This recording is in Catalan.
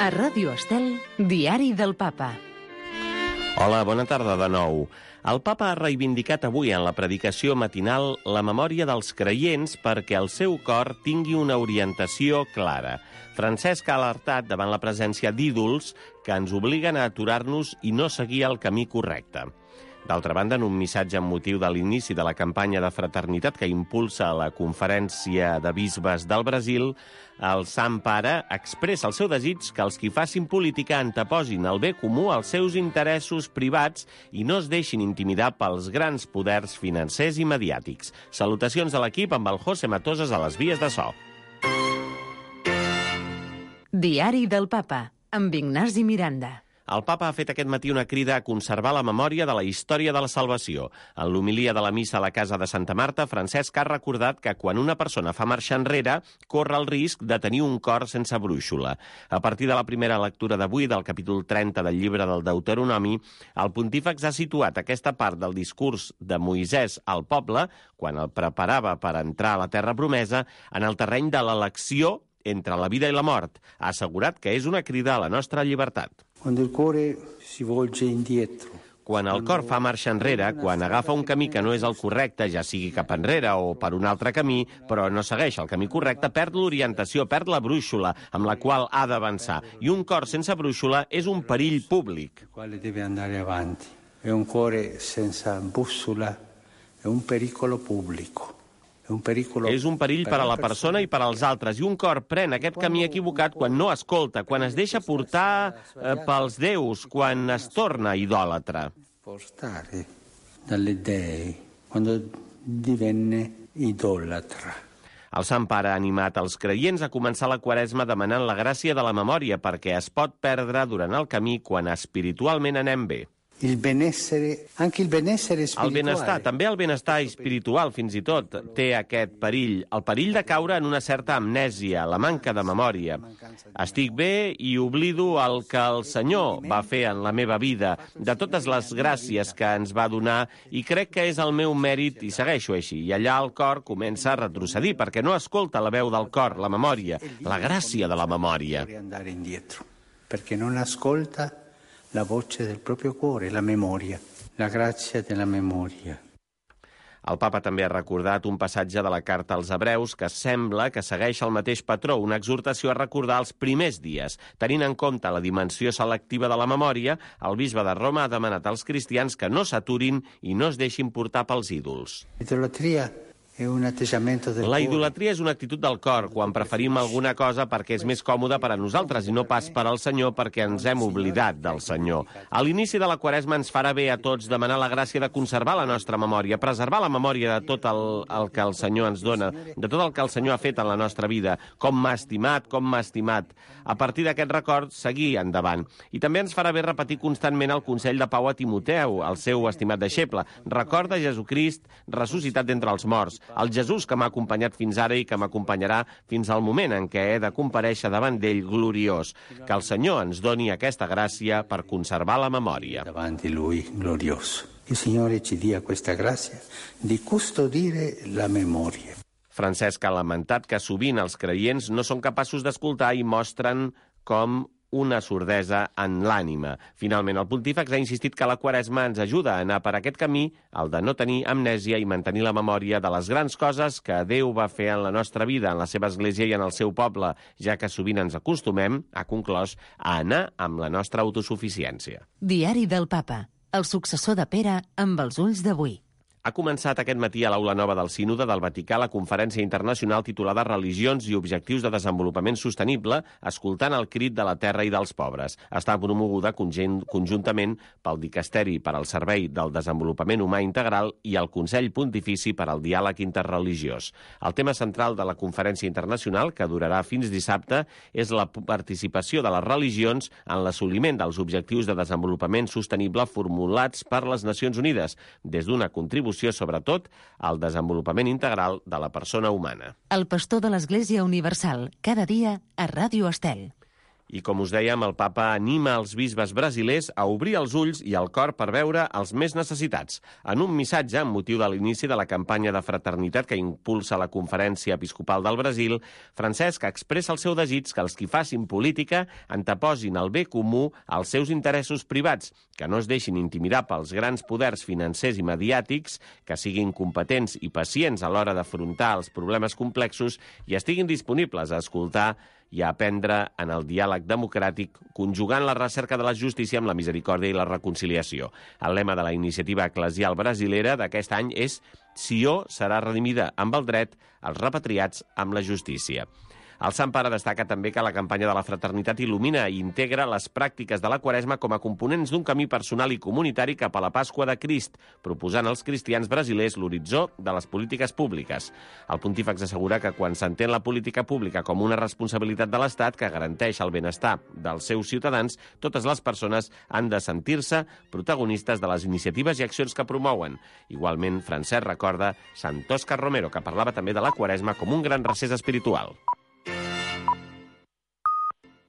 A Ràdio Estel, Diari del Papa. Hola, bona tarda de nou. El papa ha reivindicat avui en la predicació matinal la memòria dels creients perquè el seu cor tingui una orientació clara. Francesc ha alertat davant la presència d'ídols que ens obliguen a aturar-nos i no seguir el camí correcte. D'altra banda, en un missatge amb motiu de l'inici de la campanya de fraternitat que impulsa la Conferència de Bisbes del Brasil, el Sant Pare expressa el seu desig que els qui facin política anteposin el bé comú als seus interessos privats i no es deixin intimidar pels grans poders financers i mediàtics. Salutacions de l'equip amb el José Matosas a les vies de so. Diari del Papa, amb Ignasi Miranda. El papa ha fet aquest matí una crida a conservar la memòria de la història de la salvació. En l'homilia de la missa a la casa de Santa Marta, Francesc ha recordat que quan una persona fa marxa enrere, corre el risc de tenir un cor sense brúixola. A partir de la primera lectura d'avui, del capítol 30 del llibre del Deuteronomi, el pontífex ha situat aquesta part del discurs de Moisès al poble, quan el preparava per entrar a la terra promesa, en el terreny de l'elecció entre la vida i la mort. Ha assegurat que és una crida a la nostra llibertat. Quan el cor fa marxa enrere, quan agafa un camí que no és el correcte, ja sigui cap enrere o per un altre camí, però no segueix el camí correcte, perd l'orientació, perd la brúixola amb la qual ha d'avançar. I un cor sense brúixola és un perill públic. Un cuore sense bússola è un pericolo pubblico. És un perill per a la persona i per als altres, i un cor pren aquest camí equivocat quan no escolta, quan es deixa portar pels déus, quan es torna idòlatra. Portare dalle dei, quando divenne idolatra. El Sant Pare ha animat els creients a començar la Quaresma demanant la gràcia de la memòria perquè es pot perdre durant el camí quan espiritualment anem bé. El benestar, també el benestar espiritual, fins i tot, té aquest perill. El perill de caure en una certa amnèsia, la manca de memòria. Estic bé i oblido el que el Senyor va fer en la meva vida, de totes les gràcies que ens va donar, i crec que és el meu mèrit i segueixo així. I allà el cor comença a retrocedir, perquè no escolta la veu del cor, la memòria, la gràcia de la memòria. Perquè no ascolta la voce del proprio cuore, la memoria, la grazia della memoria. El papa també ha recordat un passatge de la carta als Hebreus que sembla que segueix el mateix patró, una exhortació a recordar els primers dies. Tenint en compte la dimensió selectiva de la memòria, el bisbe de Roma ha demanat als cristians que no s'aturin i no es deixin portar pels ídols. La idolatria és una actitud del cor, quan preferim alguna cosa perquè és més còmoda per a nosaltres i no pas per al Senyor perquè ens hem oblidat del Senyor. A l'inici de la Quaresma ens farà bé a tots demanar la gràcia de conservar la nostra memòria, preservar la memòria de tot el que el Senyor ens dona, de tot el que el Senyor ha fet en la nostra vida, com m'ha estimat, com m'ha estimat. A partir d'aquest record, seguir endavant. I també ens farà bé repetir constantment el consell de Pau a Timoteu, el seu estimat deixeble. Recorda Jesucrist ressuscitat d'entre els morts, el Jesús que m'ha acompanyat fins ara i que m'acompanyarà fins al moment en què he de comparèixer davant d'ell gloriós. Que el Senyor ens doni aquesta gràcia per conservar la memòria. Davanti lui glorioso. Il Signore ci dia questa grazia di custodire la memoria. Francesc ha lamentat que sovint els creients no són capaços d'escoltar i mostren com una sordesa en l'ànima. Finalment, el pontífex ha insistit que la Quaresma ens ajuda a anar per aquest camí, el de no tenir amnèsia i mantenir la memòria de les grans coses que Déu va fer en la nostra vida, en la seva església i en el seu poble, ja que sovint ens acostumem, ha conclòs, a anar amb la nostra autosuficiència. Diari del Papa, el successor de Pere amb els ulls d'avui. Ha començat aquest matí a l'Aula Nova del Sínode del Vaticà la conferència internacional titulada Religions i objectius de desenvolupament sostenible, escoltant el crit de la terra i dels pobres. Està promoguda conjuntament pel Dicasteri per al Servei del Desenvolupament Humà Integral i el Consell Pontifici per al Diàleg Interreligiós. El tema central de la conferència internacional, que durarà fins dissabte, és la participació de les religions en l'assoliment dels objectius de desenvolupament sostenible formulats per les Nacions Unides, des d'una contribució sobretot al desenvolupament integral de la persona humana. El pastor de l'Església Universal, cada dia a Ràdio Estel. I, com us dèiem, el papa anima els bisbes brasilers a obrir els ulls i el cor per veure els més necessitats. En un missatge, amb motiu de l'inici de la campanya de fraternitat que impulsa la Conferència Episcopal del Brasil, Francesc expressa el seu desig que els qui facin política anteposin el bé comú als seus interessos privats, que no es deixin intimidar pels grans poders financers i mediàtics, que siguin competents i pacients a l'hora d'afrontar els problemes complexos i estiguin disponibles a escoltar i a aprendre en el diàleg democràtic, conjugant la recerca de la justícia amb la misericòrdia i la reconciliació. El lema de la iniciativa eclesial brasilera d'aquest any és «Sió serà redimida amb el dret, els repatriats amb la justícia». El Sant Pare destaca també que la campanya de la fraternitat il·lumina i integra les pràctiques de la Quaresma com a components d'un camí personal i comunitari cap a la Pasqua de Crist, proposant als cristians brasilers l'horitzó de les polítiques públiques. El pontífex assegura que quan s'entén la política pública com una responsabilitat de l'Estat que garanteix el benestar dels seus ciutadans, totes les persones han de sentir-se protagonistes de les iniciatives i accions que promouen. Igualment, Francesc recorda Sant Òscar Romero, que parlava també de la Quaresma com un gran recés espiritual.